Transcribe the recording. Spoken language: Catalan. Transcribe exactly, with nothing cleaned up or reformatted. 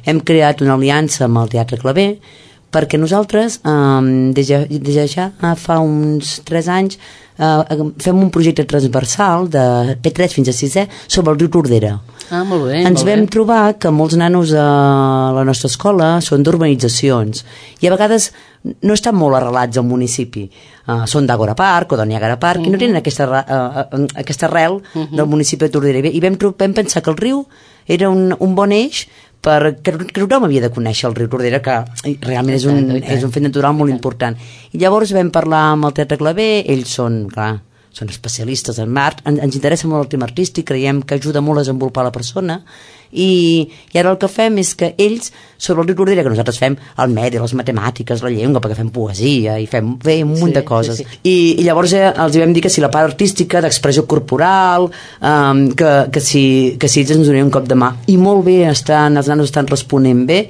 hem creat una aliança amb el Teatre Claver, perquè nosaltres, eh, des, de, des de ja fa uns tres anys, eh, fem un projecte transversal de P tres fins a sisè sobre el riu Tordera. Ah, molt bé. Ens molt vam bé. trobar que molts nanos a la nostra escola són d'urbanitzacions i a vegades no estan molt arrelats al municipi. Uh, són d'Àgora Park o de Niagara Park uh -huh. i no tenen aquesta, uh, uh, aquesta arrel uh -huh. del municipi de Tordera. I vam, vam pensar que el riu era un, un bon eix perquè tothom havia de conèixer el riu Tordera, que realment és un, és un fet natural molt important. I llavors vam parlar amb el Teatre Claver, ells són, clar, són especialistes en art, en, ens interessa molt el tema artístic, creiem que ajuda molt a desenvolupar la persona, i, i ara el que fem és que ells, sobre el riu Tordera, que nosaltres fem el medi, les matemàtiques, la llengua, perquè fem poesia i fem bé, un munt sí, de coses. Sí, sí. I, I llavors eh, els vam dir que si la part artística, d'expressió corporal, um, que, que, si, que si ells ens donarien un cop de mà. I molt bé, estan, els nanos estan responent bé.